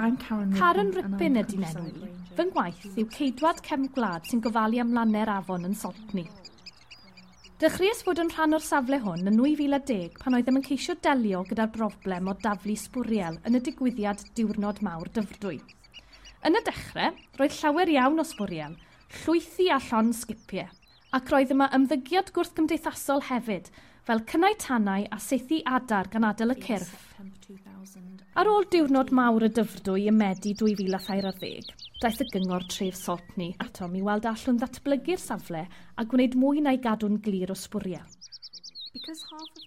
I'm Karen Karen Rippin, Rippin ydy'n enw i. Fy ngwaith yw ceidwad cefn gwlad sy'n gofalu am lannau'r afon yn Saltney. Dechreuais fod yn rhan o'r safle hwn yn 2010 pan oeddem yn ceisio delio gyda'r broblem o daflu sbwriel yn y digwyddiad Diwrnod Mawr Dyfrdwy. Yn y dechrau, roedd llawer iawn o sbwriel, llwythi a llond sgipiau, ac roedd yma ymddygiad gwrthgymdeithasol hefyd, fel cynnau tanau a saethu adar gan adael y cyrff. Ar ôl diwrnod mawr y Dyfrdwy ym Medi 2013, daeth y gyngor tref Saltney atom i weld allwn ddatblygu'r safle a gwneud mwy na'i gadw'n glir o sbwriel.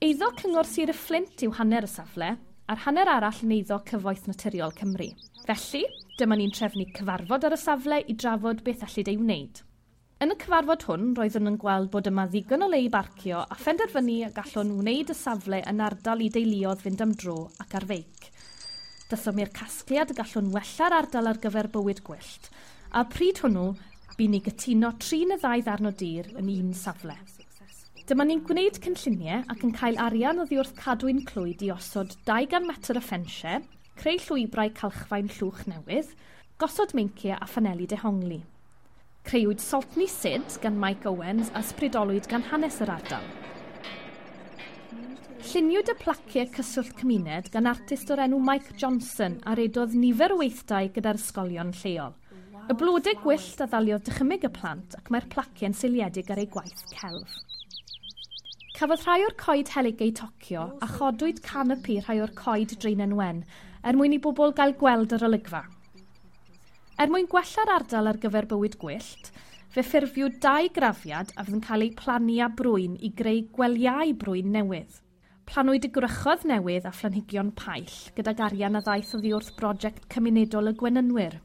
Eiddo Cyngor Sir y Fflint yw hanner y safle, a'r hanner arall yn eiddo Cyfoeth Naturiol Cymru. Felly, dyma ni'n trefnu cyfarfod ar y safle i drafod beth ellid ei wneud. Yn y cyfarfod hwn, roeddwn yn gweld bod yma ddigon o le i barcio a phenderfynu y gallwn wneud y safle yn ardal i deuluoedd fynd am dro ac ar feic. Daethom i'r casgliad y gallwn wella'r ardal ar gyfer bywyd gwyllt, a pryd hwnnw, bu ni gytuno 3 neu 2 ddarn o dir yn un safle. Dyma ni'n gwneud cynlluniau ac yn cael arian oddi wrth Cadwyn Clwyd i osod 200 metr o ffensiau, creu llwybrau calchfaen llwch newydd, gosod meinciau a phaneli dehongli. Creuwyd Saltney Sid gan Mike Owens a ysbrydolwyd gan hanes yr ardal. Lluniwyd y placiau cyswllt cymuned gan artist o'r enw Mike Johnson a redodd nifer o weithdai gyda'r ysgolion lleol. Y blodau gwyllt a ddaliodd dychymyg y plant ac mae'r placiau'n seiliedig ar eu gwaith celf. Cafodd rhai o'r coed helyg eu tocio a chodwyd canopi rhai o'r coed Draenen Wen er mwyn i bobl gael gweld yr olygfa. Er mwyn gwella'r ardal ar gyfer bywyd gwyllt, fe ffurfiwyd 2 grafiad a fydd yn cael eu plannu â brwyn i greu gwelyau brwyn newydd. Planwyd y gwrychodd newydd a phlanhigion paill gydag arian a ddaeth oddi wrth brosiect cymunedol y Gwenynwyr.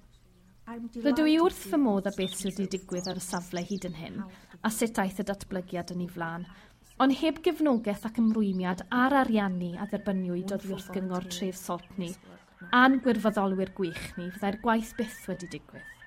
Rydw i wrth fy modd â beth sydd wedi digwydd ar y safle hyd yn hyn a sut aeth y datblygiad yn ei flaen, ond heb gefnogaeth ac ymrwymiad a'r ariannu a dderbyniwyd oddi wrth gyngor tref Saltney a'n gwirfoddolwyr gwych ni, fyddai'r gwaith byth wedi digwydd.